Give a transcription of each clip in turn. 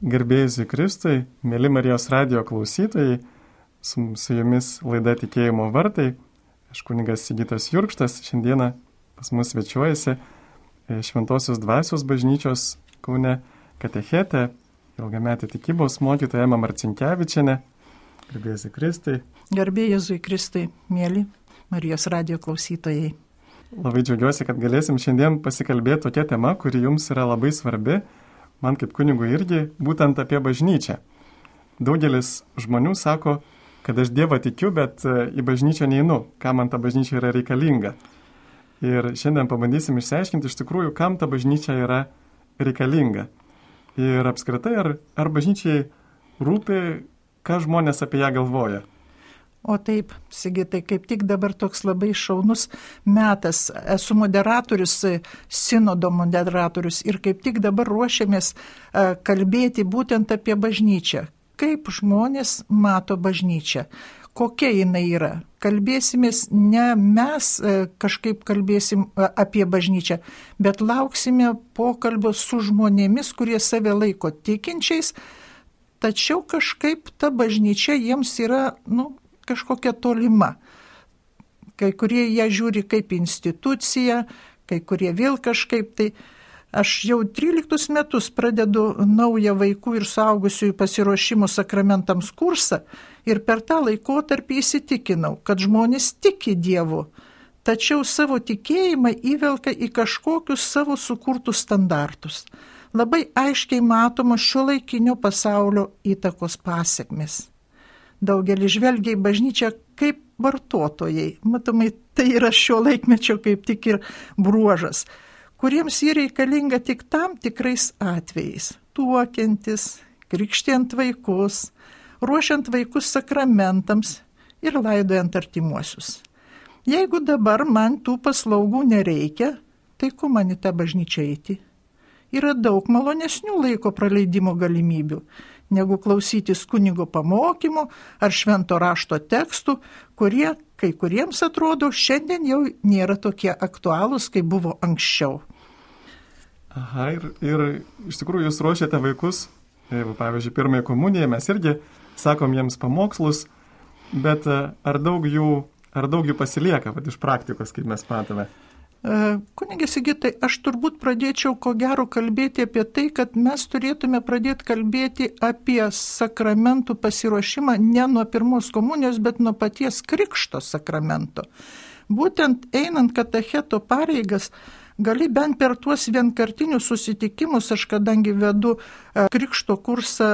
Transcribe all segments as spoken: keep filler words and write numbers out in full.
Garbėjus Kristui, mėly Marijos radijo klausytojai, su, su jumis laida Tikėjimo vartai. Aš kunigas Sigitas Jurkštas, šiandieną pas mus svečiuojasi Šventosios dvasios bažnyčios Kaune katechetė, ilgametė tikybos mokytoja Ema Marcinkevičienė. Garbėjus Kristui. Garbėjus Kristui, mėly Marijos radijo klausytojai. Labai džiaugiuosi, kad galėsim šiandien pasikalbėti tokia tema, kuri jums yra labai svarbi. Man kaip kunigui irgi būtent apie bažnyčią. Daugelis žmonių sako, kad aš Dievą tikiu, bet į bažnyčią neinu, kam man ta bažnyčia yra reikalinga. Ir šiandien pabandysim išsiaiškinti iš tikrųjų, kam ta bažnyčia yra reikalinga. Ir apskritai, ar, ar bažnyčiai rūpi, ką žmonės apie ją galvoja. O taip, Sigitai, kaip tik dabar toks labai šaunus metas. Esu moderatorius, sinodo moderatorius ir kaip tik dabar ruošiamės kalbėti būtent apie bažnyčią. Kaip žmonės mato bažnyčią, kokia jinai yra. Kalbėsimės, ne mes kažkaip kalbėsim apie bažnyčią, bet lauksime pokalbio su žmonėmis, kurie save laiko tikinčiais, tačiau kažkaip ta bažnyčia jiems yra, nu, kažkokia tolima. Kai kurie ją žiūri kaip instituciją, kai kurie vėl kažkaip tai. Aš jau tryliktus metus pradedu naują vaikų ir suaugusiųjų pasiruošimo sakramentams kursą ir per tą laikotarpį įsitikinau, kad žmonės tiki Dievu, tačiau savo tikėjimą įvelka į kažkokius savo sukurtus standartus. Labai aiškiai matomos šiuolaikinio pasaulio įtakos pasekmės. Daugelis žvelgia į bažnyčią kaip vartotojai. Matomai, tai yra šio laikmečio kaip tik ir bruožas, kuriems jį reikalinga tik tam tikrais atvejais. Tuokiantis, krikštijant vaikus, ruošiant vaikus sakramentams ir laidojant artimuosius. Jeigu dabar man tų paslaugų nereikia, tai ko man į tą bažnyčią eiti? Yra daug malonesnių laiko praleidimo galimybių, negu klausytis kunigo pamokymų ar švento rašto tekstų, kurie kai kuriems atrodo šiandien jau nėra tokie aktualūs, kaip buvo anksčiau. Aha, ir, ir iš tikrųjų jūs ruošiate vaikus, pavyzdžiui, pirmąją komuniją, mes irgi sakom jiems pamokslus, bet ar daug jų, ar daug jų pasilieka, vat, iš praktikos, kaip mes matome? Kunige Sigitai, aš turbūt pradėčiau ko gero kalbėti apie tai, kad mes turėtume pradėti kalbėti apie sakramentų pasiruošimą ne nuo pirmos komunijos, bet nuo paties krikšto sakramento. Būtent einant katecheto pareigas, gali bent per tuos vienkartinius susitikimus, aš kadangi vedu krikšto kursą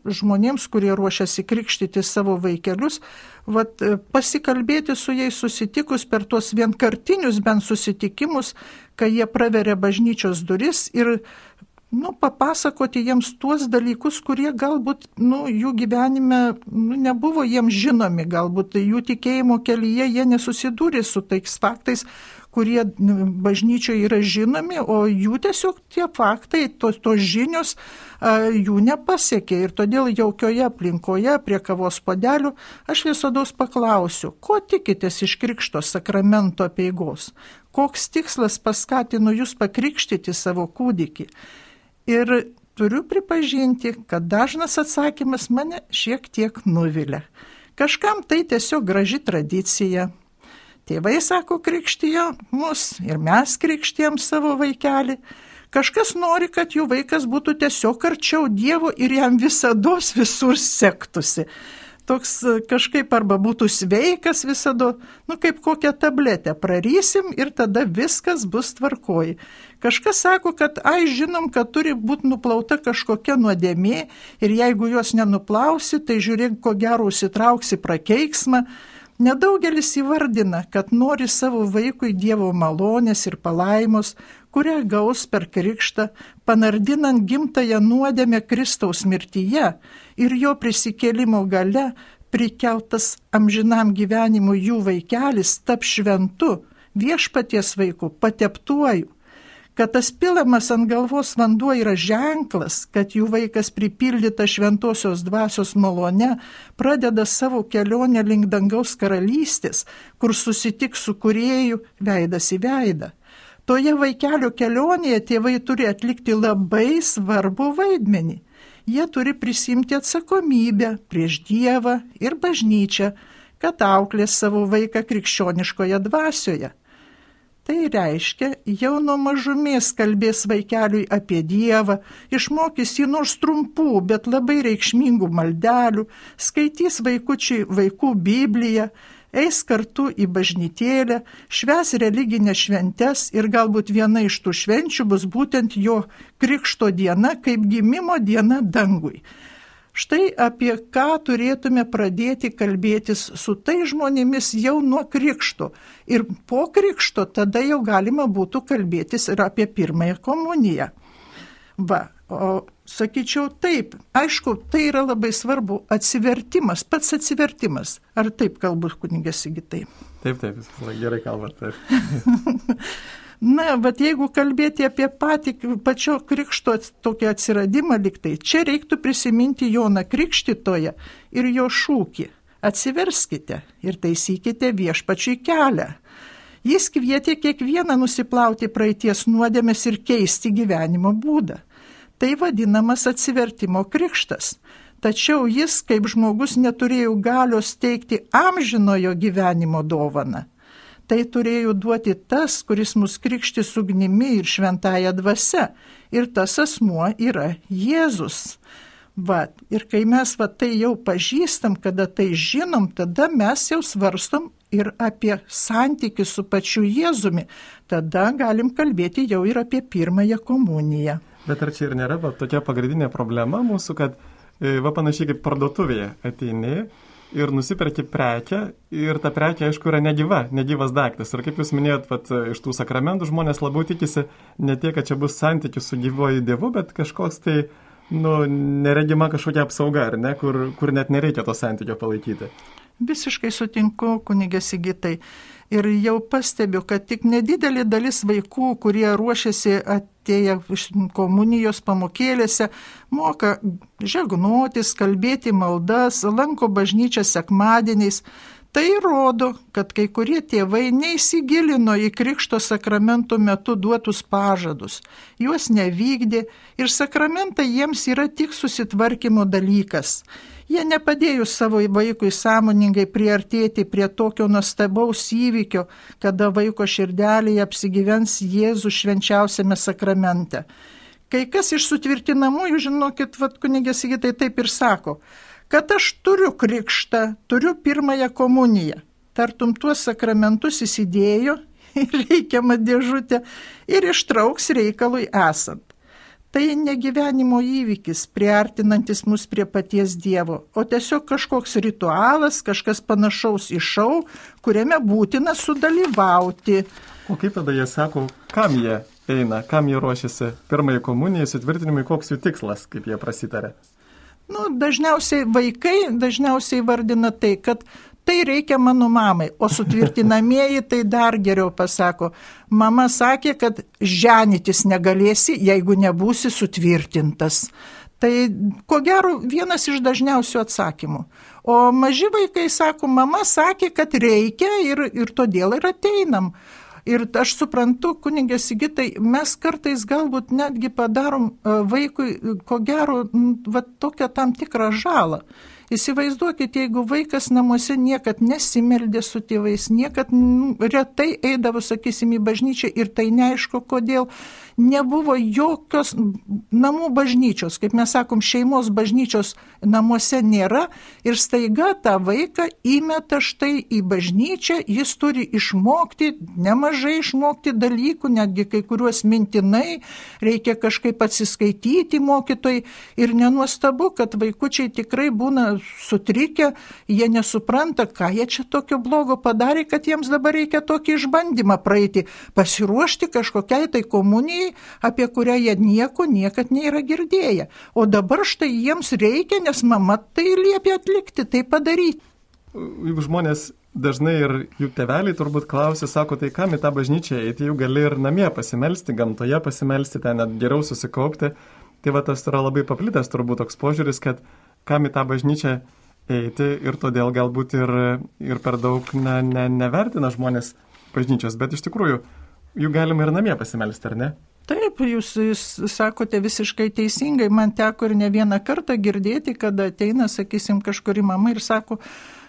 žmonėms, kurie ruošiasi krikštyti savo vaikelius, vat, pasikalbėti su jais susitikus per tuos vienkartinius bent susitikimus, kai jie praveria bažnyčios duris ir nu, papasakoti jiems tuos dalykus, kurie galbūt nu, jų gyvenime nu, nebuvo jiems žinomi, galbūt jų tikėjimo kelyje jie nesusidūrė su tais faktais, kurie bažnyčioje yra žinomi, o jų tiesiog tie faktai, tos, tos žinios a, jų nepasiekė. Ir todėl jaukioje aplinkoje prie kavos puodelių aš visados paklausiu, ko tikitės iš krikšto sakramento apeigos? Koks tikslas paskatino jūs pakrikštyti savo kūdikį? Ir turiu pripažinti, kad dažnas atsakymas mane šiek tiek nuvilia. Kažkam tai tiesiog graži tradicija. Tėvai, sako, krikštijo mus ir mes krikštijam savo vaikelį. Kažkas nori, kad jų vaikas būtų tiesiog arčiau Dievo ir jam visados visur sektųsi. Toks kažkaip arba būtų sveikas visada, nu kaip kokią tabletę prarysim ir tada viskas bus tvarkoj. Kažkas sako, kad ai žinom, kad turi būti nuplauta kažkokia nuodėmė ir jeigu jos nenuplausi, tai žiūrėk, ko gero užsitrauksi prakeiksmą. Nedaugelis įvardina, kad nori savo vaikui Dievo malonės ir palaimos, kurią gaus per krikštą, panardinant gimtąją nuodėmę Kristaus mirtyje ir jo prisikėlimo gale prikeltas amžinam gyvenimui jų vaikelis tap šventu, viešpaties vaiku, pateptuoju. Kad tas pilamas ant galvos vanduo yra ženklas, kad jų vaikas pripildyta šventosios dvasios malone pradeda savo kelionę link dangaus karalystės, kur susitiks su kūrėju veidas į veidą. Toje vaikelio kelionėje tėvai turi atlikti labai svarbų vaidmenį. Jie turi prisimti atsakomybę prieš Dievą ir bažnyčią, kad auklės savo vaiką krikščioniškoje dvasioje. Tai reiškia, jau nuo mažumės kalbės vaikeliui apie Dievą, išmokys jį nors trumpų, bet labai reikšmingų maldelių, skaitys vaikučiai vaikų Bibliją, eis kartu į bažnytėlę, švęs religinės šventes ir galbūt viena iš tų švenčių bus būtent jo krikšto diena, kaip gimimo diena dangui. Štai apie ką turėtume pradėti kalbėtis su tai žmonėmis jau nuo krikšto. Ir po krikšto tada jau galima būtų kalbėtis ir apie pirmąją komuniją. Va, o sakyčiau taip, aišku, tai yra labai svarbu atsivertimas, pats atsivertimas. Ar taip kalbu, kunigė Sigitai? Taip, taip, jūs gerai kalbate. Taip. Na, bet jeigu kalbėti apie patį pačio krikšto tokį atsiradimą liktai, čia reiktų prisiminti Joną Krikštytoją ir jo šūkį. Atsiverskite ir taisykite viešpačiui kelią. Jis kvietė kiekvieną nusiplauti praeities nuodėmes ir keisti gyvenimo būdą. Tai vadinamas atsivertimo krikštas. Tačiau jis, kaip žmogus, neturėjo galios teikti amžinojo gyvenimo dovaną. Tai turėjo duoti tas, kuris mus krikštys ugnimi ir šventąja dvasia. Ir tas asmuo yra Jėzus. Va, ir kai mes va, tai jau pažįstam, kada tai žinom, tada mes jau svarstom ir apie santykį su pačiu Jėzumi. Tada galim kalbėti jau ir apie pirmąją komuniją. Bet ar čia ir nėra va, tokia pagrindinė problema mūsų, kad va, panašiai kaip parduotuvėje ateini ir nusiperki prekę ir ta prekė, aišku, yra negyva, negyvas daiktas. Ir kaip jūs minėjot, vat, iš tų sakramentų žmonės labiau tikisi ne tiek, kad čia bus santykis su gyvuoju Dievu, bet kažkoks tai, nu, neregima kažkokia apsauga, ar ne, kur, kur net nereikia to santykio palaikyti. Visiškai sutinku, kunigė Sigitai. Ir jau pastebiu, kad tik nedidelė dalis vaikų, kurie ruošiasi atėję iš komunijos pamokėlėse, moka žegnotis, kalbėti maldas, lanko bažnyčią sekmadieniais. Tai rodo, kad kai kurie tėvai neįsigilino į krikšto sakramentų metu duotus pažadus, juos nevykdė ir sakramentai jiems yra tik susitvarkymo dalykas. Jie nepadėjo savo vaikui sąmoningai priartėti prie tokio nuostabaus įvykio, kada vaiko širdelėje apsigyvens Jėzus švenčiausiame sakramente. Kai kas iš sutvirtinamųjų, žinokit, vat, kunigė Sigitai taip ir sako, kad aš turiu krikštą, turiu pirmąją komuniją. Tartum tuos sakramentus įsidėjo į reikiamą dėžutę ir ištrauks reikalui esant. Tai ne gyvenimo įvykis, priartinantis mus prie paties Dievo, o tiesiog kažkoks ritualas, kažkas panašaus į šou, kuriame būtina sudalyvauti. O kaip tada jie sako, kam jie eina, kam jie ruošiasi pirmąjį komuniją, sutvirtinimui, koks jų tikslas, kaip jie prasitarė? Nu, dažniausiai vaikai dažniausiai vardina tai, kad tai reikia mano mamai, o sutvirtinamieji tai dar geriau pasako. Mama sakė, kad ženytis negalėsi, jeigu nebūsi sutvirtintas. Tai ko gero vienas iš dažniausių atsakymų. O maži vaikai sako, mama sakė, kad reikia ir, ir todėl ir ateinam. Ir aš suprantu, kunigė Sigitai, mes kartais galbūt netgi padarom vaikui, ko gero, va, tokią tam tikrą žalą. Įsivaizduokit, jeigu vaikas namuose niekad nesimeldė su tėvais, niekad retai eidavo, sakysim, į bažnyčią ir tai neaišku, kodėl nebuvo jokios namų bažnyčios, kaip mes sakom, šeimos bažnyčios namuose nėra ir staiga tą vaiką įmeta štai į bažnyčią, jis turi išmokti, nemažai išmokti dalykų, netgi kai kuriuos mintinai, reikia kažkaip atsiskaityti mokytojai ir nenuostabu, kad vaikučiai tikrai būna sutrikę, jie nesupranta, ką jie čia tokio blogo padarė, kad jiems dabar reikia tokį išbandymą praeiti, pasiruošti kažkokiai tai komunijai, apie kurią jie nieko niekad nėra girdėję. O dabar štai jiems reikia, nes mama tai liepia atlikti, tai padaryti. Juk žmonės dažnai ir jų tėveliai turbūt klausia, sako, tai kam į tą bažnyčią eiti, jau gali ir namie pasimelsti, gamtoje pasimelsti, ten net geriau susikaupti. Tai va tas yra labai paplitęs turbūt toks požiūris, kad kam į tą bažnyčią eiti ir todėl galbūt ir, ir per daug ne, ne, nevertina žmonės bažnyčios. Bet iš tikrųjų, jų galima ir namie pasimelsti, ar ne? Taip, jūs, jūs sakote visiškai teisingai, man teko ir ne vieną kartą girdėti, kada ateina, sakysim, kažkuri mama ir sako,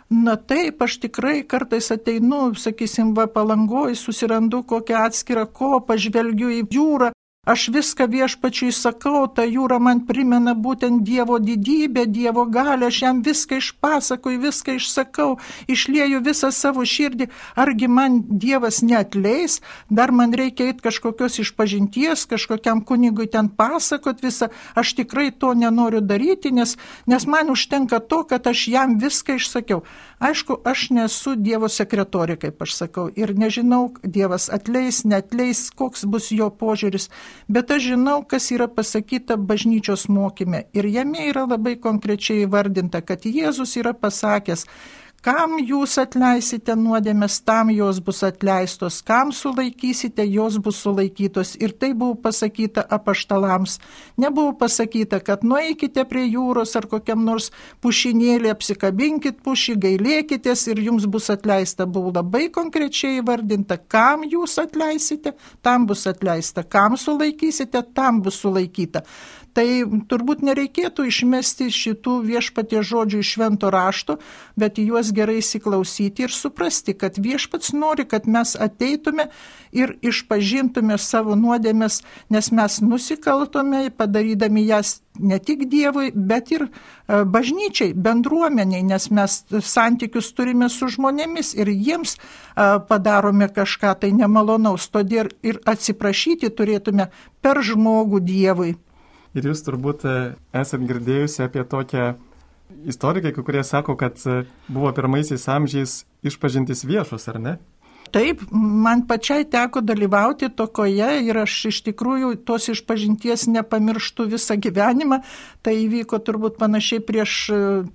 na taip, aš tikrai kartais ateinu, sakysim, va Palangoj, susirandu kokią atskirą kopą, žvelgiu į jūrą, aš viską viešpačiui sakau, ta jūra man primena būtent Dievo didybę, Dievo galią, aš jam viską išpasakoju, viską išsakau, išlieju visą savo širdį, argi man Dievas neatleis, dar man reikia eiti kažkokios išpažinties, kažkokiam kunigui ten pasakot visą, aš tikrai to nenoriu daryti, nes, nes man užtenka to, kad aš jam viską išsakiau. Aišku, aš nesu Dievo sekretorė, kaip aš sakau, ir nežinau, Dievas atleis, neatleis, koks bus jo požiūris, bet aš žinau, kas yra pasakyta bažnyčios mokyme. Ir jame yra labai konkrečiai įvardinta, kad Jėzus yra pasakęs, kam jūs atleisite nuodėmes, tam jos bus atleistos, kam sulaikysite, jos bus sulaikytos. Ir tai buvo pasakyta apaštalams. Nebuvo pasakyta, kad nueikite prie jūros ar kokiam nors pušinėlį, apsikabinkit pušį, gailėkitės ir jums bus atleista. Buvo labai konkrečiai įvardinta, kam jūs atleisite, tam bus atleista, kam sulaikysite, tam bus sulaikyta. Tai turbūt nereikėtų išmesti šitų viešpaties žodžių iš švento rašto, bet į juos gerai įsiklausyti ir suprasti, kad viešpats nori, kad mes ateitume ir išpažintume savo nuodėmes, nes mes nusikaltome, padarydami jas ne tik Dievui, bet ir bažnyčiai, bendruomeniai, nes mes santykius turime su žmonėmis ir jiems padarome kažką tai nemalonaus, todėl ir atsiprašyti turėtume per žmogų Dievui. Ir jūs turbūt esat girdėjusi apie tokią istoriką, kurie sako, kad buvo pirmaisiais amžiais išpažintis viešos, ar ne? Taip, man pačiai teko dalyvauti tokioje ir aš iš tikrųjų tos išpažinties nepamirštu visą gyvenimą. Tai įvyko turbūt panašiai prieš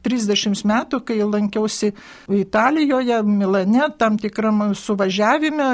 trisdešimt metų, kai lankiausi Italijoje, Milane, tam tikram suvažiavime,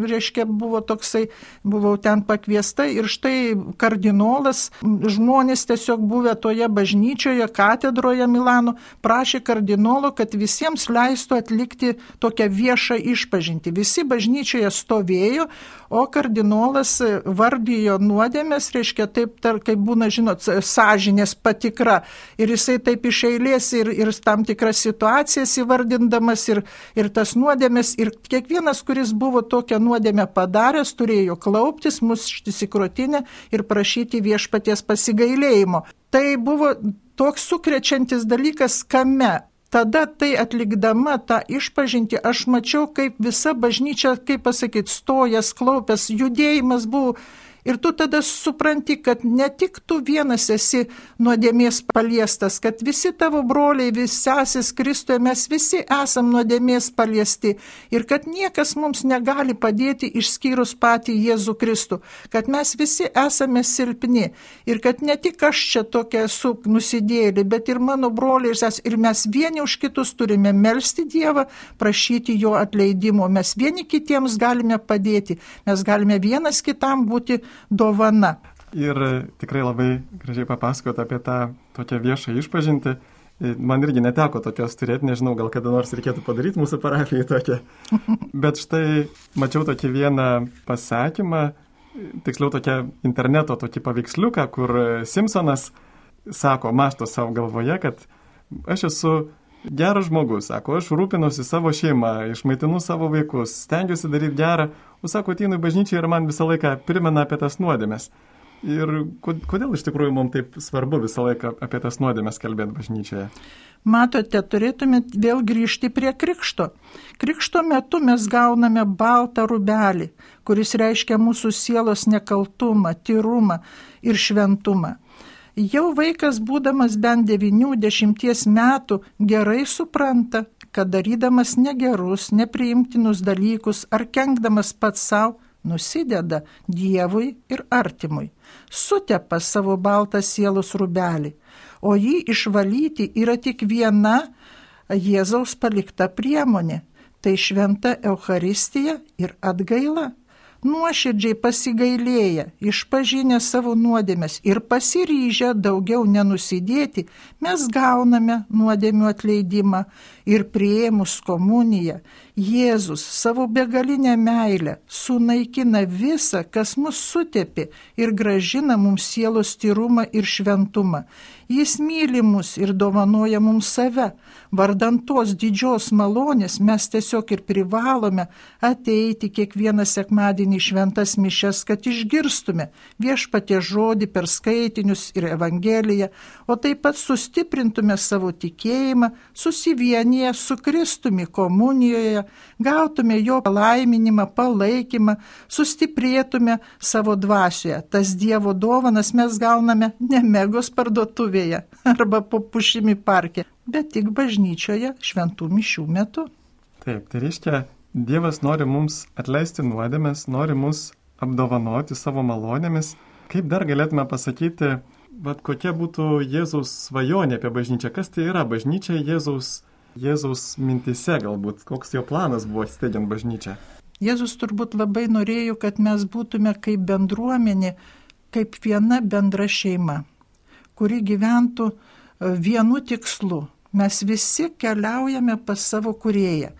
reiškia, buvo toksai, buvau ten pakviesta ir štai kardinolas, žmonės tiesiog buvę toje bažnyčioje, katedroje Milano, prašė kardinolo, kad visiems leistų atlikti tokią viešą išpažintį. Visi bažnyčioje stovėjo, o kardinolas vardijo nuodėmes, reiškia taip, tar, kaip būna, žinot, sąžinės patikra. Ir jisai taip iš eilės ir, ir tam tikras situacijas įvardindamas ir, ir tas nuodėmes. Ir kiekvienas, kuris buvo tokią nuodėmę padaręs, turėjo klauptis, muštis į krūtinę ir prašyti viešpaties pasigailėjimo. Tai buvo toks sukrečiantis dalykas, kame. Tada tai atlikdama tą išpažintį, aš mačiau, kaip visa bažnyčia, kaip pasakyti, stojas, klaupęs, judėjimas buvo. Ir tu tada supranti, kad ne tik tu vienas esi nuodėmės paliestas, kad visi tavo broliai, visi sesis Kristuje, mes visi esam nuodėmės paliesti. Ir kad niekas mums negali padėti išskyrus patį Jėzų Kristų. Kad mes visi esame silpni. Ir kad ne tik aš čia tokia esu nusidėjėlė, bet ir mano broliai ir sesis. Ir mes vieni už kitus turime melsti Dievą, prašyti jo atleidimo. Mes vieni kitiems galime padėti. Mes galime vienas kitam būti dovana. Ir tikrai labai gražiai papasakot apie tą tokią viešą išpažintį. Man irgi neteko tokios turėti, nežinau, gal kada nors reikėtų padaryti mūsų parapijai tokią. Bet štai mačiau tokį vieną pasakymą, tiksliau tokią interneto tokį paveiksliuką, kur Simpsonas sako, mašto savo galvoje, kad aš esu geras žmogus, sako, aš rūpinuosi savo šeimą, išmaitinu savo vaikus, stengiuosi daryti gerą, o sako, ateinu į bažnyčią ir man visą laiką primena apie tas nuodėmes. Ir kodėl iš tikrųjų mums taip svarbu visą laiką apie tas nuodėmes kalbėti bažnyčioje? Matote, turėtume vėl grįžti prie krikšto. Krikšto metu mes gauname baltą rūbelį, kuris reiškia mūsų sielos nekaltumą, tyrumą ir šventumą. Jau vaikas, būdamas bent devynių dešimties metų, gerai supranta, kad darydamas negerus, nepriimtinus dalykus ar kenkdamas pats savo, nusideda Dievui ir artimui, sutepa savo baltą sielos rūbelį, o jį išvalyti yra tik viena Jėzaus palikta priemonė, tai šventa Eucharistija ir atgaila. nuoširdžiai pasigailėję, išpažinę savo nuodėmes ir pasiryžę daugiau nenusidėti, mes gauname nuodėmių atleidimą ir priėmus komuniją, Jėzus savo begalinę meilę sunaikina visą, kas mus sutepė ir grąžina mums sielos tyrumą ir šventumą. Jis myli mus ir dovanoja mums save. Vardant tos didžios malonės mes tiesiog ir privalome ateiti kiekvieną sekmadienį šventas mišias, kad išgirstume viešpaties žodį per skaitinius ir evangeliją, o taip pat sustiprintume savo tikėjimą, susivienyje su Kristumi komunijoje, gautume jo palaiminimą, palaikymą, sustiprėtume savo dvasioje. Tas Dievo dovanas mes gauname ne Megos parduotuvėje arba po pušimi parke, bet tik bažnyčioje šventų mišių metu. Taip, tai reiškia, Dievas nori mums atleisti nuodėmes, nori mus apdovanoti savo malonėmis. Kaip dar galėtume pasakyti, bet kokia būtų Jėzaus svajonė apie bažnyčią? Kas tai yra bažnyčia Jėzaus, Jėzaus mintise galbūt? Koks jo planas buvo steigiant bažnyčią? Jėzus turbūt labai norėjo, kad mes būtume kaip bendruomenė, kaip viena bendra šeima, kuri gyventų vienu tikslu. Mes visi keliaujame pas savo kūrėją.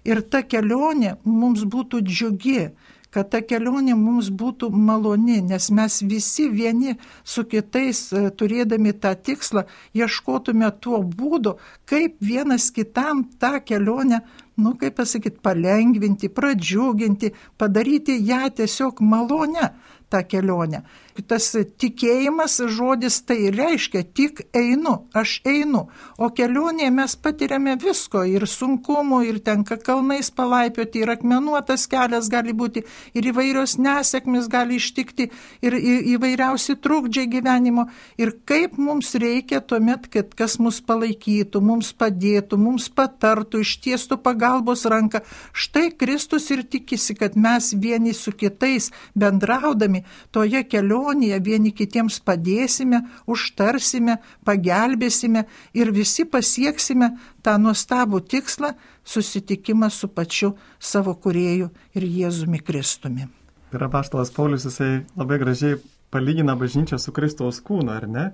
Ir ta kelionė mums būtų džiugi, kad ta kelionė mums būtų maloni, nes mes visi vieni su kitais, turėdami tą tikslą, ieškotume tuo būdu, kaip vienas kitam tą kelionę, nu kaip pasakyti, palengvinti, pradžiuginti, padaryti ją tiesiog malonę, tą kelionę. Tas tikėjimas žodis tai reiškia tik einu, aš einu, o kelionėje mes patiriame visko, ir sunkumų, ir tenka kalnais palaipioti, ir akmenuotas kelias gali būti, ir įvairios nesėkmės gali ištikti, ir įvairiausi trukdžiai gyvenimo, ir kaip mums reikia tuomet, kad kas mus palaikytų, mums padėtų, mums patartų, ištiestų pagalbos ranką. Štai Kristus ir tikisi, kad mes vieni su kitais bendraudami toje kelionėje vieni kitiems padėsime, užtarsime, pagelbėsime ir visi pasieksime tą nuostabų tikslą – susitikimą su pačiu savo kūrėju ir Jėzumi Kristumi. Ir apaštalas Paulius, jisai labai gražiai palygina bažnyčią su Kristaus kūnu, ar ne?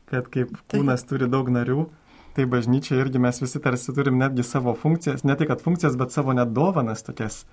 Kad kaip kūnas tai turi daug narių, tai bažnyčia irgi mes visi tarsi turim netgi savo funkcijas, ne tik kad funkcijas, bet savo net dovanas tokias.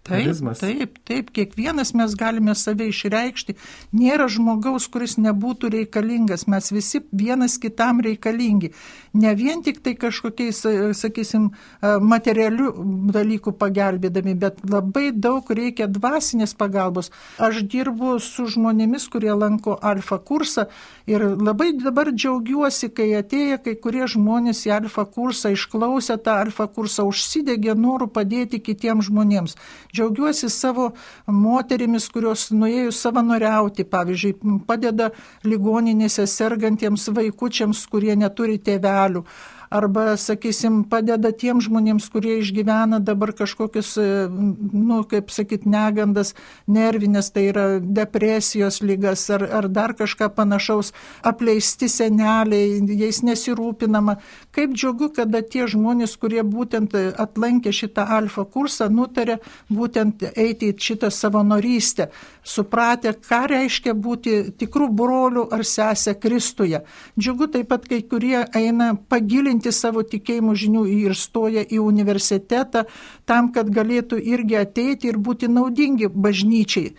Taip, taip, taip, kiekvienas mes galime save išreikšti. Nėra žmogaus, kuris nebūtų reikalingas. Mes visi vienas kitam reikalingi. Ne vien tik tai kažkokiais, sakysim, materialių dalykų pagelbėdami, bet labai daug reikia dvasinės pagalbos. Aš dirbu su žmonėmis, kurie lanko alfa kursą ir labai dabar džiaugiuosi, kai atėję kai kurie žmonės į alfa kursą, išklausę tą alfa kursą, užsidegė norų padėti kitiems žmonėms. Džiaugiuosi savo moterimis, kurios nuėjo savanoriauti, pavyzdžiui, padeda ligoninėse sergantiems vaikučiams, kurie neturi tėvelių. Arba, sakysim, padeda tiem žmonėms, kurie išgyvena dabar kažkokius, nu, kaip sakyt, negandas, nervinės, tai yra depresijos ligas ar, ar dar kažką panašaus, apleisti seneliai, jais nesirūpinama. Kaip džiugu, kada tie žmonės, kurie būtent atlankė šitą alfa kursą, nutarė būtent eiti į šitą savanorystę, supratę, ką reiškia būti tikrų brolių ar sesę Kristuje. Džiugu taip pat, kai kurie eina pagilinti savo tikėjimų žinių ir stoja į universitetą tam, kad galėtų irgi ateiti ir būti naudingi bažnyčiai.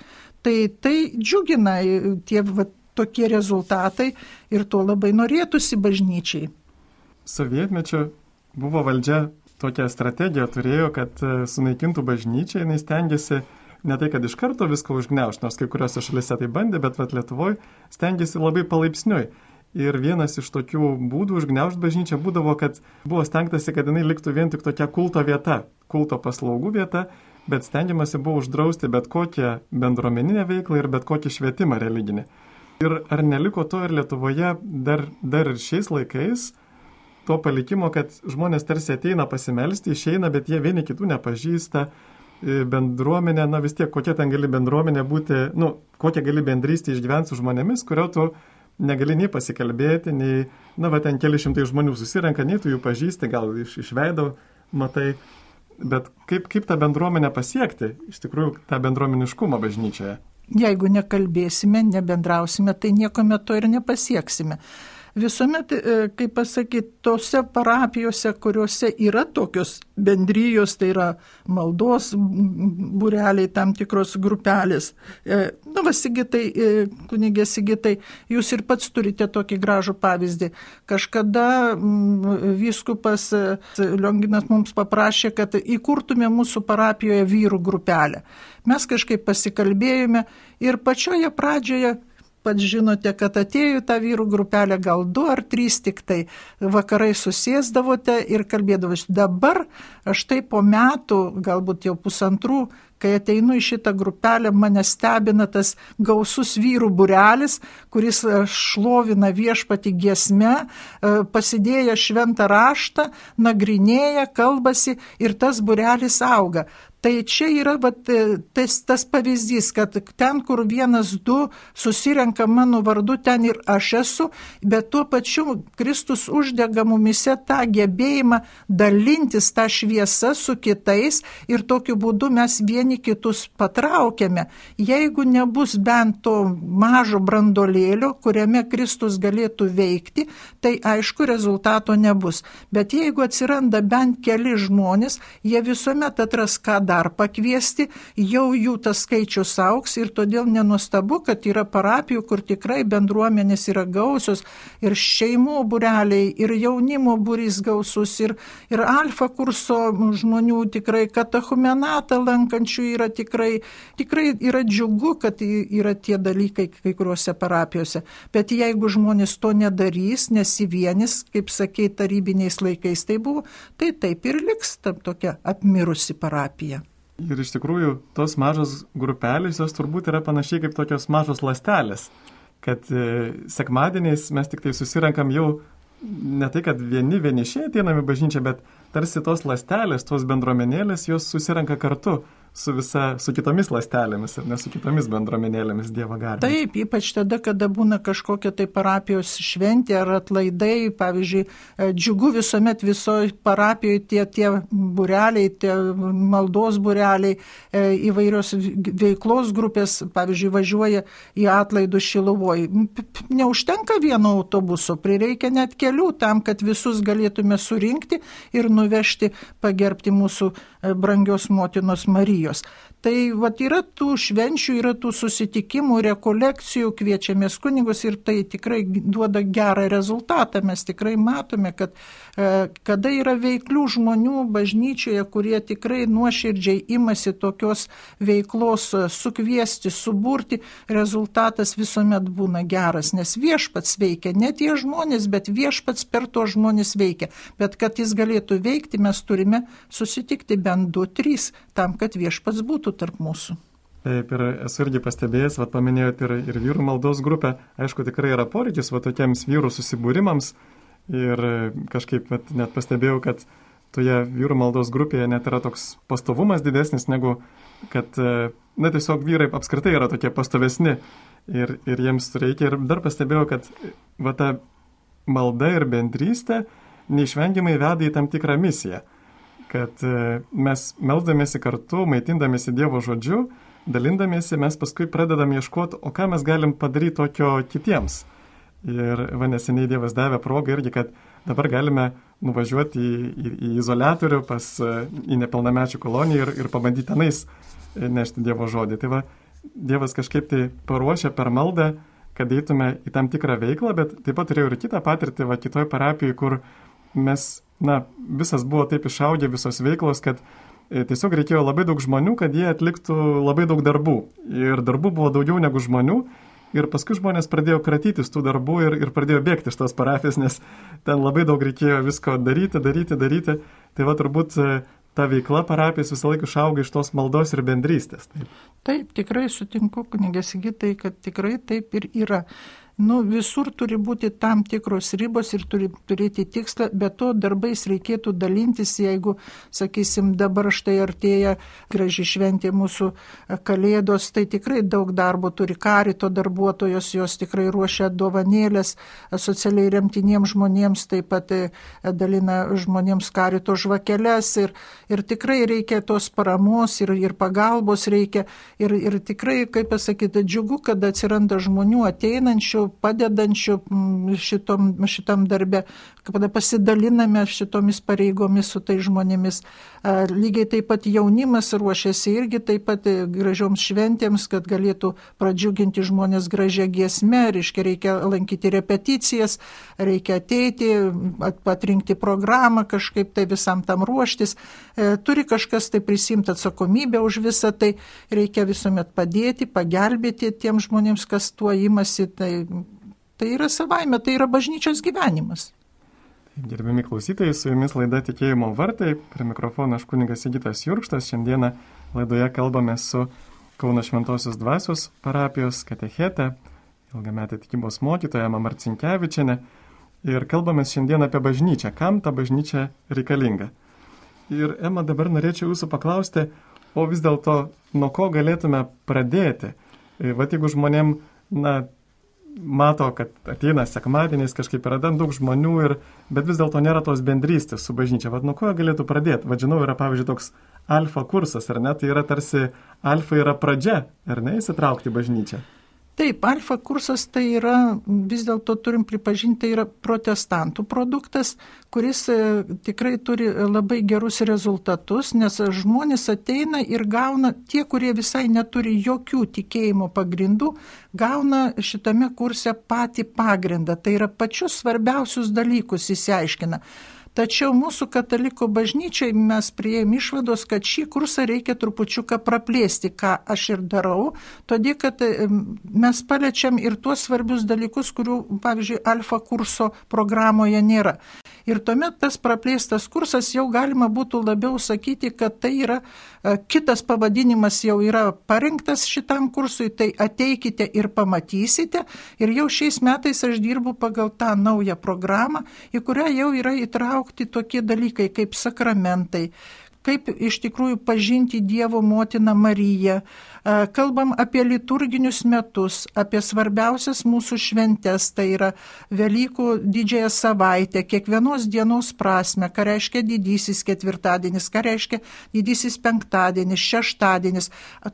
Tai tai džiugina tie va, tokie rezultatai ir to labai norėtųsi bažnyčiai. Sovietmečiu buvo valdžia tokią strategiją turėjo, kad sunaikintų bažnyčią, jinai stengiasi ne tai, kad iš karto viską užgniaužti, nors kai kuriuose šalyse tai bandė, bet vat Lietuvoje stengiasi labai palaipsniui. Ir vienas iš tokių būdų užgniaužti bažnyčią būdavo, kad buvo stengtasi, kad jinai liktų vien tik tokia kulto vieta, kulto paslaugų vieta, bet stengiamasi buvo uždrausti bet kokią bendruomeninę veiklą ir bet kokį švietimą religinį. Ir ar neliko to ir Lietuvoje dar, dar ir šiais laikais, to palikimo, kad žmonės tarsi ateina pasimelsti, išeina, bet jie vieni kitų nepažįsta, bendruomenė, na vis tiek, kokia ten gali bendruomenė būti, nu, kokia gali bendrystė išgyventi su žmonėmis, kurio tu negali nei pasikalbėti, nei, na, va, ten keli šimtai žmonių susirenka, nei tu jų pažįsti, gal iš, iš veido matai. Bet kaip, kaip tą bendruomenę pasiekti, iš tikrųjų, tą bendruomeniškumą bažnyčioje? Jeigu nekalbėsime, nebendrausime, tai nieko metu ir nepasieksime. Visuomet, kaip pasakyti, tose parapijose, kuriuose yra tokios bendrijos, tai yra maldos būreliai, tam tikros grupelės. Na, va, Sigitai, kunigė Sigitai, jūs ir pats turite tokį gražų pavyzdį. Kažkada vyskupas Lionginas mums paprašė, kad įkurtume mūsų parapijoje vyrų grupelę. Mes kažkaip pasikalbėjome ir pačioje pradžioje, pats žinote, kad atėjo tą vyrų grupelę gal du ar trys tik tai vakarai susėsdavote ir kalbėdavote. Dabar aš tai po metų, galbūt jau pusantrų, kai ateinu į šitą grupelę, mane stebina tas gausus vyrų būrelis, kuris šlovina viešpatį giesme, pasidėję šventą raštą, nagrinėja, kalbasi ir tas būrelis auga. Tai čia yra vat, tas, tas pavyzdys, kad ten, kur vienas, du susirenka mano vardu, ten ir aš esu, bet tuo pačiu Kristus uždega mumise tą gebėjimą dalintis tą šviesą su kitais ir tokiu būdu mes vieni kitus patraukiame. Jeigu nebus bent to mažo brandolėlio, kuriame Kristus galėtų veikti, tai aišku rezultato nebus. Bet jeigu atsiranda bent keli žmonės, jie visuomet atras, ką dar pakviesti, jau jų tas skaičius augs ir todėl nenuostabu, kad yra parapijų, kur tikrai bendruomenės yra gausios ir šeimų būreliai, ir jaunimo būrys gausus, ir, ir alfa kurso žmonių tikrai, katechumenatą lankančių yra tikrai, tikrai yra džiugu, kad yra tie dalykai kai kuriuose parapijose. Bet jeigu žmonės to nedarys, nesivienis, kaip sakei, tarybiniais laikais tai buvo, tai taip ir liks tam tokia apmirusi parapija. Ir iš tikrųjų, tos mažos grupelės, jos turbūt yra panašiai kaip tokios mažos ląstelės, kad e, sekmadieniais mes tik tai susirenkam jau ne tai, kad vieni vienišiai ateiname bažnyčią, bet tarsi tos ląstelės, tos bendruomenėlės, jos susirenka kartu su, visa, su kitomis ląstelėmis ir ne su kitomis bendruomenėlėmis Dievo garbei. Taip, ypač tada, kada būna kažkokia tai parapijos šventė ar atlaidai, pavyzdžiui, džiugu visuomet visoje parapijoje tie, tie būreliai, tie maldos būreliai, įvairios veiklos grupės, pavyzdžiui, važiuoja į atlaidus Šiluvoj. Neužtenka vieno autobuso, prireikia net kelių tam, kad visus galėtume surinkti ir nuvežti, pagerbti mūsų brangios motinos Marijos. Tai vat, yra tų švenčių, yra tų susitikimų, rekolekcijų, kviečiamės kunigus ir tai tikrai duoda gerą rezultatą. Mes tikrai matome, kad e, kada yra veiklių žmonių bažnyčioje, kurie tikrai nuoširdžiai imasi tokios veiklos sukviesti, suburti, rezultatas visuomet būna geras, nes viešpats veikia, ne tie žmonės, bet viešpats per to žmonės veikia. Bet kad jis galėtų veikti, mes turime susitikti bent du, trys, tam, kad viešpats būtų tarp mūsų. Taip, ir esu irgi pastebėjęs, vat paminėjot ir, ir vyrų maldos grupę, aišku, tikrai yra poreikis va tokiems vyrų susibūrimams ir kažkaip vat, net pastebėjau, kad toje vyrų maldos grupėje net yra toks pastovumas didesnis negu, kad, na, tiesiog vyrai apskritai yra tokie pastovesni ir, ir jiems reikia. Ir dar pastebėjau, kad va ta malda ir bendrystė neišvengiamai veda į tam tikrą misiją. Kad mes melsdamėsi kartu, maitindamėsi Dievo žodžiu, dalindamėsi, mes paskui pradedam ieškoti, o ką mes galim padaryti tokio kitiems. Ir va neseniai Dievas davė progą irgi, kad dabar galime nuvažiuoti į, į, į izoliatorių pas į nepilnamečių koloniją ir, ir pabandyti tenais nešti Dievo žodį. Tai va, Dievas kažkaip tai paruošia per maldą, kad eitume į tam tikrą veiklą, bet taip pat turėjau ir kitą patirtį, va kitoj parapijai, kur mes, na, visas buvo taip išaugę, visos veiklos, kad e, tiesiog reikėjo labai daug žmonių, kad jie atliktų labai daug darbų. Ir darbų buvo daugiau negu žmonių. Ir paskui žmonės pradėjo kratytis tų darbų ir, ir pradėjo bėgti iš tos parapijos, nes ten labai daug reikėjo visko daryti, daryti, daryti. Tai va turbūt e, ta veikla parapijos visą laiką išauga iš tos maldos ir bendrystės. Taip, taip tikrai sutinku, kunigė Sigitai, kad tikrai taip ir yra. Nu, visur turi būti tam tikros ribos ir turi turėti tikslą, bet to darbais reikėtų dalintis, jeigu, sakysim, dabar štai artėja graži šventė mūsų Kalėdos, tai tikrai daug darbo turi karito darbuotojos, jos tikrai ruošia dovanėlės socialiai remtiniems žmonėms, taip pat dalina žmonėms karito žvakeles ir, ir tikrai reikia tos paramos ir, ir pagalbos reikia ir, ir tikrai, kaip pasakyti, džiugu, kad atsiranda žmonių ateinančių, padedančių šitom, šitam darbe, kada pasidaliname šitomis pareigomis su tai žmonėmis. Lygiai taip pat jaunimas ruošiasi irgi taip pat gražioms šventėms, kad galėtų pradžiuginti žmonės gražią giesmę, reiškia reikia lankyti repeticijas, reikia ateiti, atrinkti programą, kažkaip tai visam tam ruoštis. Turi kažkas tai prisimti atsakomybę už visą tai, reikia visuomet padėti, pagelbėti tiems žmonėms, kas tuo imasi. Tai, tai yra savaime, tai yra bažnyčios gyvenimas. Gerbiami klausytojai, su jumis laida Tikėjimo vartai. Prie mikrofono aš kunigas Sigitas Jurkštas. Šiandieną laidoje kalbame su Kauno Šventosios Dvasios parapijos katechete, ilgametė tikybos mokytoja Ema Marcinkevičienė. Ir kalbame šiandien apie bažnyčią. Kam ta bažnyčia reikalinga? Ir Ema, dabar norėčiau jūsų paklausti, o vis dėlto nuo ko galėtume pradėti? Vat jeigu žmonėm, na, mato, kad ateina sekmadieniais, kažkaip yra daug žmonių, ir, bet vis dėlto nėra tos bendrystės su bažnyčia. Vat nuo ko galėtų pradėti? Vat žinau, yra pavyzdžiui toks alfa kursas, ar ne? Tai yra tarsi alfa yra pradžia, ar ne, įsitraukti bažnyčią? Taip, alfa kursas tai yra, vis dėlto turim pripažinti, tai yra protestantų produktas, kuris tikrai turi labai gerus rezultatus, nes žmonės ateina ir gauna, tie, kurie visai neturi jokių tikėjimo pagrindų, gauna šitame kurse patį pagrindą, tai yra pačius svarbiausius dalykus įsiaiškina. Tačiau mūsų katalikų bažnyčiai mes priėjom išvados, kad šį kursą reikia trupučiuką praplėsti, ką aš ir darau, todėl kad mes paliečiam ir tuos svarbius dalykus, kurių, pavyzdžiui, alfa kurso programoje nėra. Ir tuomet tas praplėstas kursas jau galima būtų labiau sakyti, kad tai yra kitas pavadinimas jau yra parinktas šitam kursui, tai ateikite ir pamatysite. Ir jau šiais metais aš dirbu pagal tą naują programą, į kurią jau yra įtraukti tokie dalykai kaip sakramentai, kaip iš tikrųjų pažinti Dievo motiną Mariją. Kalbam apie liturginius metus, apie svarbiausias mūsų šventes, tai yra Velykų didžiąją savaitę, kiekvienos dienos prasme, ką reiškia didysis ketvirtadienis, ką reiškia didysis penktadienis, šeštadienis,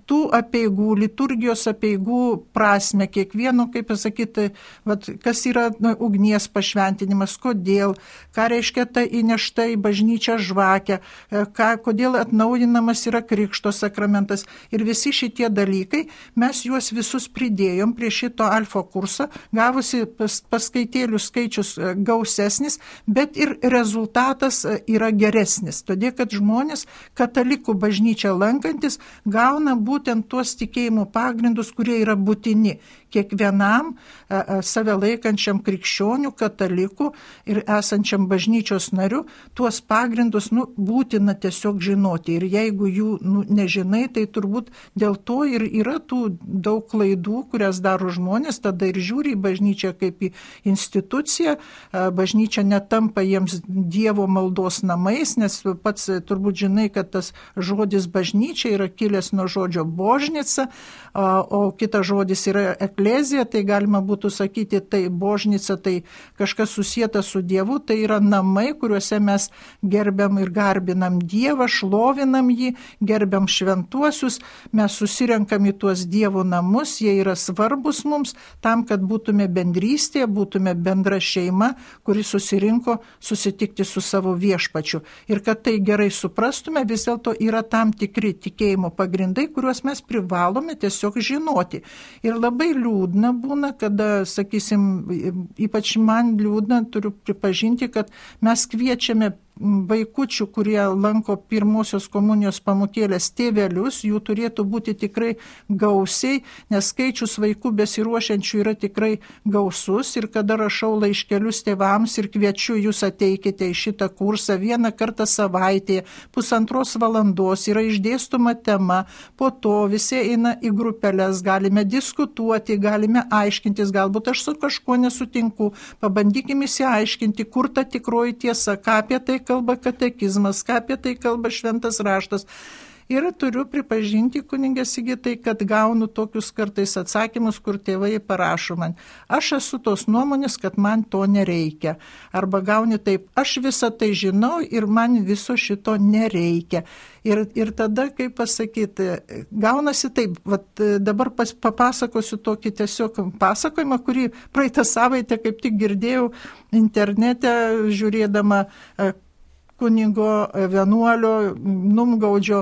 tų apeigų, liturgijos apeigų prasme, kiekvieno, kaip pasakyti, vat, kas yra na, ugnies pašventinimas, kodėl, ką reiškia ta įnešta į bažnyčią žvakę, ką, kodėl atnaujinamas yra krikšto sakramentas ir visi šitie dalykai, mes juos visus pridėjom prie šito alfa kurso, gavusi pas, paskaitėlių skaičius gausesnis, bet ir rezultatas yra geresnis. Todėl, kad žmonės katalikų bažnyčią lankantis gauna būtent tuos tikėjimo pagrindus, kurie yra būtini kiekvienam a, a, save laikančiam krikščionių, katalikų ir esančiam bažnyčios nariu, tuos pagrindus nu, būtina tiesiog žinoti. Ir jeigu jų nu, nežinai, tai turbūt dėl to ir yra tų daug klaidų, kurias daro žmonės, tada ir žiūri į bažnyčią kaip į instituciją, bažnyčia netampa jiems Dievo maldos namais, nes pats turbūt žinai, kad tas žodis bažnyčia yra kilęs nuo žodžio božnica, o kitas žodis yra eklezija, tai galima būtų sakyti, tai božnica, tai kažkas susieta su Dievu, tai yra namai, kuriuose mes gerbiam ir garbinam Dievą, šlovinam jį, gerbiam šventuosius, mes susirenkam į tuos Dievo namus, jie yra svarbus mums, tam, kad būtume bendrystėje, būtume bendra šeima, kuri susirinko susitikti su savo viešpačiu. Ir kad tai gerai suprastume, vis dėlto yra tam tikri tikėjimo pagrindai, kuriuos mes privalome tiesiog žinoti. Ir labai liūdna būna, kada, sakysim, ypač man liūdna, turiu pripažinti, kad mes kviečiame vaikučių, kurie lanko pirmosios komunijos pamokėlės tėvelius, jų turėtų būti tikrai gausiai, nes skaičius vaikų besiruošiančių yra tikrai gausus ir kada rašau laiškelius tėvams ir kviečiu jūs ateikite į šitą kursą vieną kartą savaitėje, pusantros valandos, yra išdėstoma tema, po to visi eina į grupelės, galime diskutuoti, galime aiškintis, galbūt aš su kažkuo nesutinku, pabandykime įsiaiškinti, kur ta tikroji tiesa, ką apie tai kalba katekizmas, ką apie tai kalba šventas raštas. Ir turiu pripažinti, kunigė Sigitai, kad gaunu tokius kartais atsakymus, kur tėvai parašo man, aš esu tos nuomonės, kad man to nereikia. Arba gauni taip, aš visą tai žinau ir man viso šito nereikia. Ir, ir tada, kaip pasakyti, gaunasi taip, vat, dabar pas, papasakosiu tokį tiesiog pasakojimą, kurį praeitą savaitę kaip tik girdėjau internete, žiūrėdama kunigo vienuolio Numgaudžio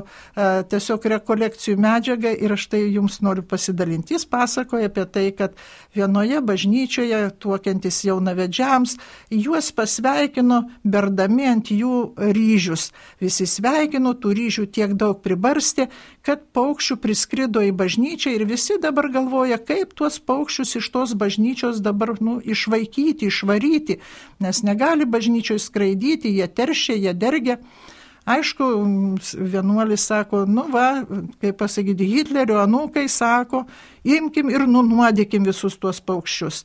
tiesiog rekolekcijų medžiagą ir aš tai jums noriu pasidalinti. Jis pasakoja apie tai, kad vienoje bažnyčioje tuokiantis jaunavedžiams juos pasveikino berdami ant jų ryžius. Visi sveikino, tų ryžių tiek daug pribarstė, kad paukščių priskrido į bažnyčią ir visi dabar galvoja, kaip tuos paukščius iš tos bažnyčios dabar nu, išvaikyti, išvaryti, nes negali bažnyčioje skraidyti, jie teršia, jie dergia. Aišku, vienuolis sako, nu va, kaip pasakyti, Hitlerio anūkai sako, imkim ir nunuodykim visus tuos paukščius.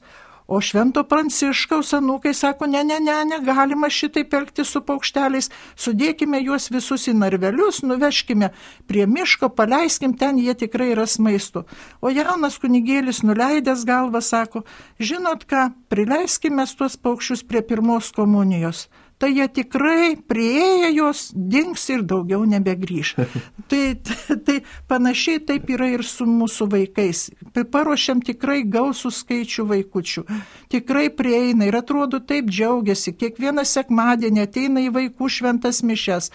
O Švento Pranciškaus anūkai sako, ne, ne, ne, negalima šitaip elgtis su paukšteliais, sudėkime juos visus į narvelius, nuveškime prie miško, paleiskim, ten jie tikrai ras maisto. O jaunas kunigėlis nuleidęs galvą sako, žinot ką, prileiskime tuos paukščius prie pirmos komunijos. Tai jie tikrai prieėję jos dings ir daugiau nebegrįš. tai, tai, tai panašiai taip yra ir su mūsų vaikais. Paruošiam tikrai gausų skaičių vaikučių. Tikrai prieina ir atrodo taip džiaugiasi. Kiekvieną sekmadienį ateina į vaikų šventas mišes.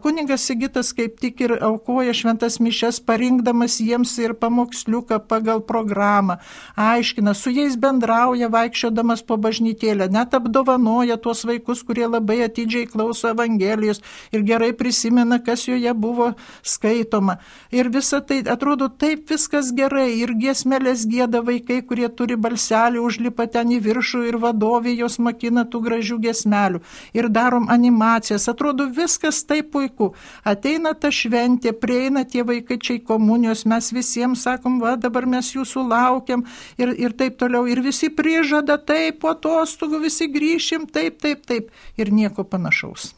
Kunigas Sigitas kaip tik ir aukoja šventas mišes, parinkdamas jiems ir pamoksliuką pagal programą. Aiškina, su jais bendrauja, vaikščiodamas po bažnytėlę. Net apdovanoja tuos vaikus, kurie labai atidžiai klauso Evangelijos ir gerai prisimena, kas joje buvo skaitoma. Ir visa tai atrodo taip viskas gerai. Ir giesmelės gieda vaikai, kurie turi balselį, užlipa ten į viršų ir vadovė jos makina tų gražių giesmelių. Ir darom animacijas. Atrodo viskas taip puiku. Ateina ta šventė, prieina tie vaikačiai komunijos, mes visiems sakom, va dabar mes jūsų laukiam ir, ir taip toliau. Ir visi prižada, taip, po atostogų visi grįšim, taip, taip, taip. Ir nieko panašaus.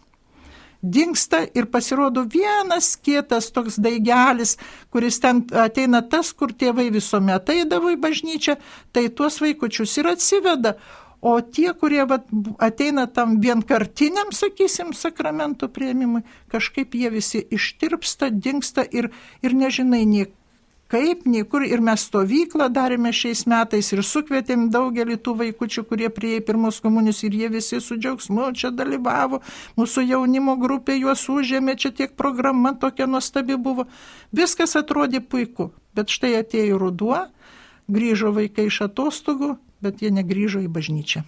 Dingsta ir pasirodo vienas kietas toks daigelis, kuris ten ateina tas, kur tėvai visuomet eidavo į bažnyčią, tai tuos vaikučius ir atsiveda. O tie, kurie vat, ateina tam vienkartiniam, sakysim, sakramentų priėmimui, kažkaip jie visi ištirpsta, dingsta ir, ir nežinai niek. Kaip, niekur, ir mes stovyklą darėme šiais metais ir sukvietėm daugelį tų vaikučių, kurie prieė pirmos komunijos ir jie visi su džiaugsmu čia dalyvavo, mūsų jaunimo grupė juos užėmė, čia tiek programa tokia nuostabi buvo. Viskas atrodė puiku, bet štai atėjo ruduo, grįžo vaikai iš atostogų, bet jie negrįžo į bažnyčią.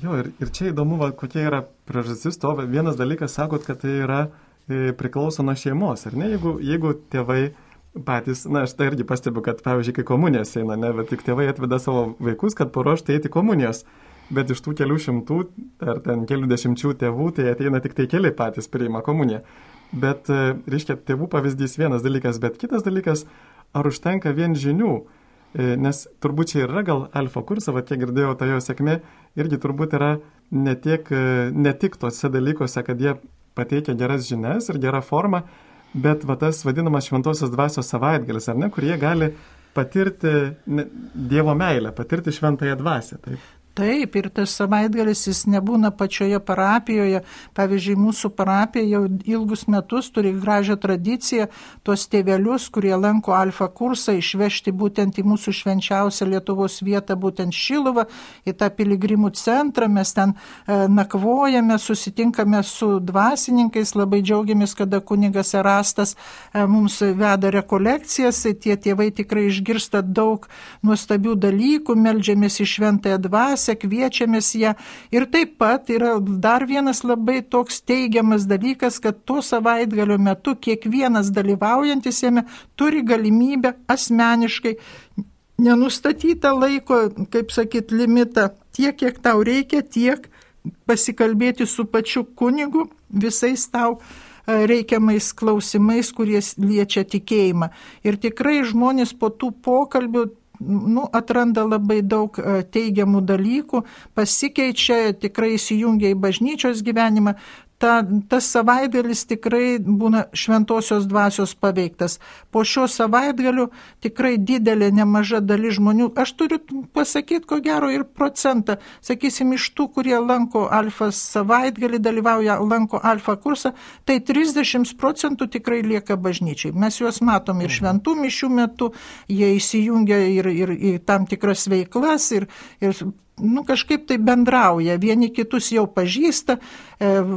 Jo, ir, ir čia įdomu, va, kokia yra priežastis to. Vienas dalykas, sakot, kad tai yra e, priklauso nuo šeimos, ar ne? Jeigu, jeigu tėvai patys, na, aš tai irgi pastebiu, kad, pavyzdžiui, kai komunijos eina, ne, bet tik tėvai atveda savo vaikus, kad paruoštų eiti komunijos, bet iš tų kelių šimtų ar ten kelių dešimčių tėvų, tai ateina tik tai keli patys priima komuniją. Bet, reiškia, tėvų pavyzdys vienas dalykas, bet kitas dalykas, ar užtenka vien žinių, nes turbūt čia yra gal alfa kursą, va, kiek girdėjau, ta jo sėkmė, irgi turbūt yra ne, tiek, ne tik tose dalykuose, kad jie pateikia geras žinias ir gerą formą, bet va, tas vadinamas šventosios dvasios savaitgalis, ar ne, kur jie gali patirti Dievo meilę, patirti šventąją dvasią. Taip. Taip, ir tas savaitgalis jis nebūna pačioje parapijoje. Pavyzdžiui, mūsų parapija jau ilgus metus turi gražią tradiciją tuos tėvelius, kurie lanko alfa kursą, išvežti būtent į mūsų švenčiausią Lietuvos vietą, būtent Šiluvą, į tą piligrimų centrą. Mes ten e, nakvojame, susitinkame su dvasininkais, labai džiaugiamės, kada kunigas Erastas e, mums veda rekolekcijas, tie tėvai tikrai išgirsta daug nuostabių dalykų, meldžiamės į šventąją dvasią. dvasią, kviečiamės ją. Ir taip pat yra dar vienas labai toks teigiamas dalykas, kad to savaitgalio metu kiekvienas dalyvaujantis jame turi galimybę asmeniškai nenustatytą laiko, kaip sakyt, limitą, tiek, kiek tau reikia, tiek pasikalbėti su pačiu kunigu visais tau reikiamais klausimais, kurie liečia tikėjimą. Ir tikrai žmonės po tų pokalbių nu, atranda labai daug teigiamų dalykų, pasikeičia, tikrai įsijungia į bažnyčios gyvenimą. Ta, tas savaitgalis tikrai būna šventosios dvasios paveiktas. Po šio savaitgalių tikrai didelė nemaža dalis žmonių, aš turiu pasakyti, ko gero, ir procentą, sakysim, iš tų, kurie lanko alfa savaitgalį, dalyvauja, lanko alfa kursą, tai trisdešimt procentų tikrai lieka bažnyčiai. Mes juos matom ir šventų mišių metu, jie įsijungia ir, ir, ir tam tikras veiklas ir, ir nu, kažkaip tai bendrauja, vieni kitus jau pažįsta,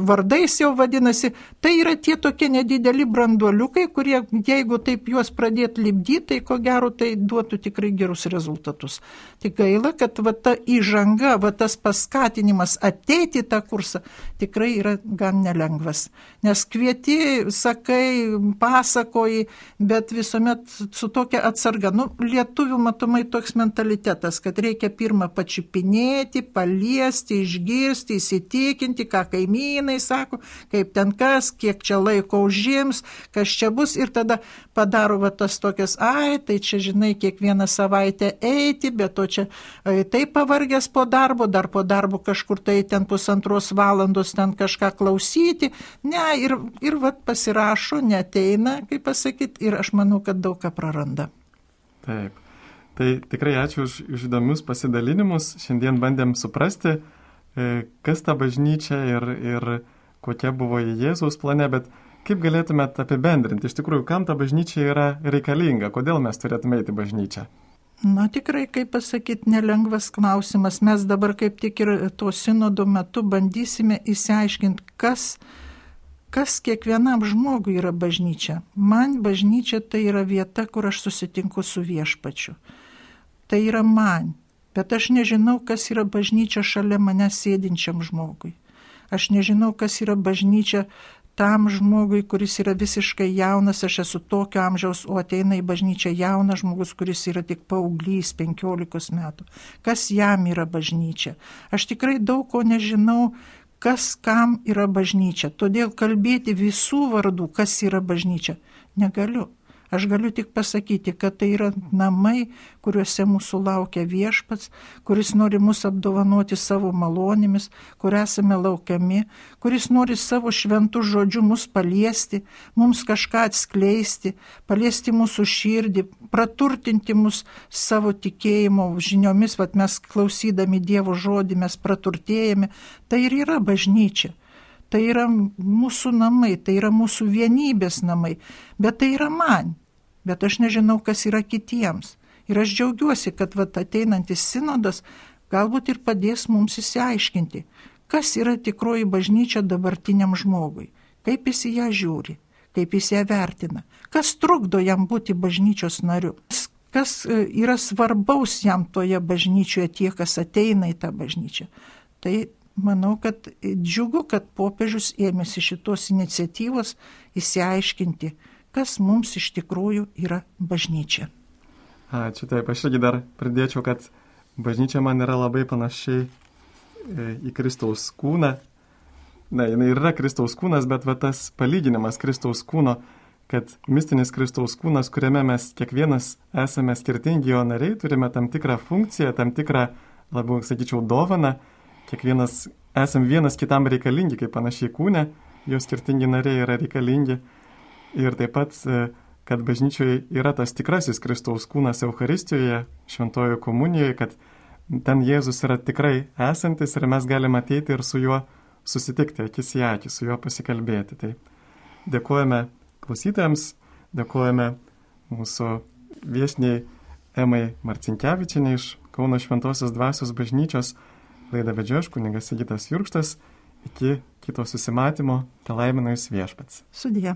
vardais jau vadinasi. Tai yra tie tokie nedideli branduoliukai, kurie, jeigu taip juos pradėt lipdyti, tai ko gero tai duotų tikrai gerus rezultatus. Tik gaila, kad va ta įžanga, va tas paskatinimas ateiti į tą kursą tikrai yra gan nelengvas. Nes kvieti, sakai, pasakoji, bet visuomet su tokia atsarga. Nu, lietuvių matomai toks mentalitetas, kad reikia pirmą pačiupinėti, paliesti, išgirsti, įsitikinti, ką kaimynai sako, kaip ten kas, kiek čia laiko užims, kas čia bus, ir tada padaro va tas tokias, ai, tai čia, žinai, kiekvieną savaitę eiti, bet to čia ai, taip pavargęs po darbo, dar po darbo kažkur tai ten pusantros valandos ten kažką klausyti, ne, ir, ir va pasirašo, neteina, kaip pasakyti, ir aš manau, kad daug ką praranda. Taip. Tai tikrai ačiū už, už įdomius pasidalinimus. Šiandien bandėm suprasti, kas ta bažnyčia ir, ir kokia buvo Jėzaus plane, bet kaip galėtumėt apibendrinti, iš tikrųjų, kam ta bažnyčia yra reikalinga, kodėl mes turėtume eiti į bažnyčią? Na tikrai, kaip pasakyti, nelengvas klausimas. Mes dabar kaip tik ir to sinodo metu bandysime įsiaiškinti, kas, kas kiekvienam žmogui yra bažnyčia. Man bažnyčia tai yra vieta, kur aš susitinku su viešpačiu. Tai yra man, bet aš nežinau, kas yra bažnyčia šalia mane sėdinčiam žmogui. Aš nežinau, kas yra bažnyčia tam žmogui, kuris yra visiškai jaunas, aš esu tokio amžiaus, o ateina į bažnyčią jaunas žmogus, kuris yra tik paauglys, penkiolikos metų. Kas jam yra bažnyčia? Aš tikrai daug ko nežinau, kas kam yra bažnyčia. Todėl kalbėti visų vardų, kas yra bažnyčia, negaliu. Aš galiu tik pasakyti, kad tai yra namai, kuriuose mūsų laukia viešpats, kuris nori mus apdovanoti savo malonėmis, kur esame laukiami, kuris nori savo šventų žodžių mus paliesti, mums kažką atskleisti, paliesti mūsų širdį, praturtinti mus savo tikėjimo žiniomis, vat mes klausydami Dievo žodį mes praturtėjame. Tai ir yra bažnyčia. Tai yra mūsų namai, tai yra mūsų vienybės namai, bet tai yra man, bet aš nežinau, kas yra kitiems. Ir aš džiaugiuosi, kad vat, ateinantis sinodas galbūt ir padės mums įsiaiškinti, kas yra tikroji bažnyčia dabartiniam žmogui, kaip jis į ją žiūri, kaip jis ją vertina, kas trukdo jam būti bažnyčios nariu, kas yra svarbaus jam toje bažnyčioje, tie, kas ateina į tą bažnyčią. Tai manau, kad džiugu, kad popiežius ėmėsi šitos iniciatyvos įsiaiškinti, kas mums iš tikrųjų yra bažnyčia. Ačiū, taip, aš irgi dar pridėčiau, kad bažnyčia man yra labai panašiai į Kristaus kūną. Na, jinai yra Kristaus kūnas, bet va tas palyginimas Kristaus kūno, kad mistinis Kristaus kūnas, kuriame mes kiekvienas esame skirtingi jo nariai, turime tam tikrą funkciją, tam tikrą, labiau sakyčiau, dovaną. Kiekvienas esam vienas kitam reikalingi, kaip panašiai kūne, jo skirtingi nariai yra reikalingi. Ir taip pat, kad bažnyčioje yra tas tikrasis Kristaus kūnas Eucharistijoje, šventojoje komunijoje, kad ten Jėzus yra tikrai esantis ir mes galime ateiti ir su juo susitikti, akis į akį, su juo pasikalbėti. Tai dėkojame klausytojams, dėkojame mūsų viešniai Emai Marcinkevičienei iš Kauno Šventosios Dvasios bažnyčios. Laidą vedžiau aš, kunigas Sigitas Jurkštas. Iki kito susimatymo, te laimina Jus viešpats. Sudie.